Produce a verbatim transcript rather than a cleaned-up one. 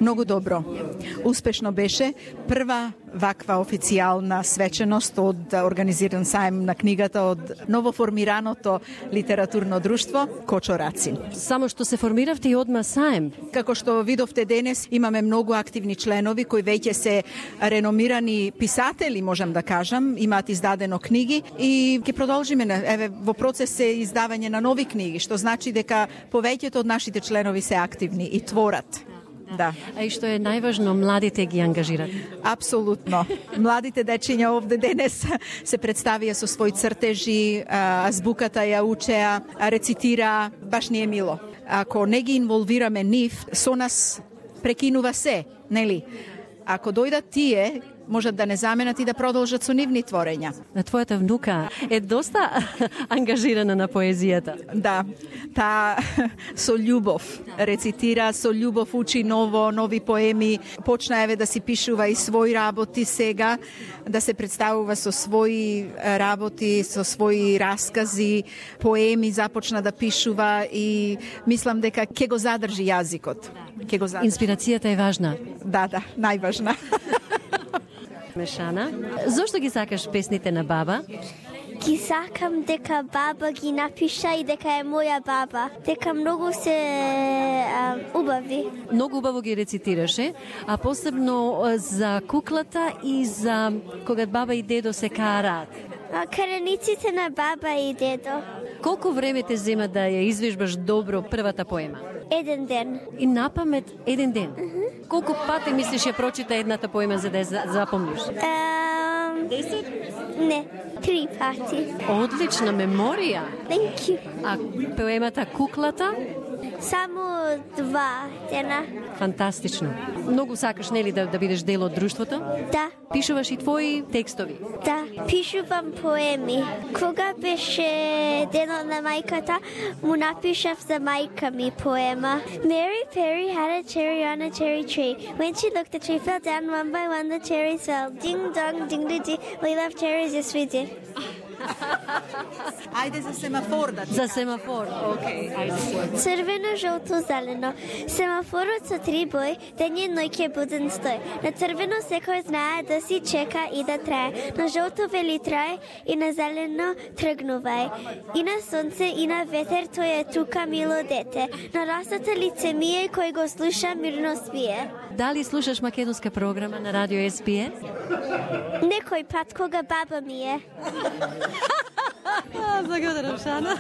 Многу добро. Успешно беше прва ваква официјална свеченост од организиран сајм на книгата од новоформираното литературно друштво Кочораци. Само што се формиравте и одма сајм. Како што видовте денес, имаме многу активни членови кои веќе се реномирани писатели, можам да кажам, имаат издадено книги и ќе продолжиме, еве, во процес е издавање на нови книги, што значи дека повеќето од нашите членови се активни и творат. Да. А и што е најважно, младите ги ангажират. Апсолутно. Младите дечиња овде денес се представија со своји цртежи, азбуката ја учеа, рецитира, баш ни е мило. Ако не ги инволвираме нив, со нас прекинува се, нели? Ако дојдат тие, можат да не заменат и да продолжат со нивни творења. На твојата внука е доста ангажирана на поезијата. Да, та со љубов рецитира, со љубов учи ново, нови поеми, почна еве да си пишува и своји работи сега, да се представува со своји работи, со своји раскази, поеми започна да пишува и мислам дека ќе го задржи јазикот. Ќе го задржи. Инспирацијата е важна. Да, да, најважна. Мешана, зошто ги сакаш песните на баба? Ги сакам дека баба ги напиша и дека е моја баба. Дека многу се а, убави. Многу убаво ги рецитираше, а посебно за куклата и за кога баба и дедо се караат. Караниците на баба и дедо. Колку време те зема да ја извежбаш добро првата поема? Еден ден. И напамет еден ден? Uh-huh. Колку пати мислиш ја прочита едната поема за да ја запомниш? Um, Десет? Не, три пати. Одлична меморија. Thank you. А поемата Куклата? Само два дена. Фантастично. Многу сакаш, нели, да, да бидеш дел од друштвото? Да. Пишуваш и твои текстови? Да, пишувам поеми. Кога беше денот на мајката, му напишав за мајка ми поема. Mary Perry had a cherry on a cherry tree. When she looked, the tree fell down. One by one, the cherries fell. Ding dong, ding ding ding. We love cherries, yes we did. Ајде за семафор да. За семафор, окей. Ајде. Црвено, жолто, зелено. Семафорот со три бои, ден и ноќе буден стој. На црвено секој знае да си чека и да трае. На жолто вели трае и на зелено тргнувај. И на сонце и на ветер тој е тука мило дете. На расата лице мие кој го слуша мирно спие. Дали слушаш македонска програма на радио Ес Би Ес? Некој пат кога баба ми е. Благодарам, Шана.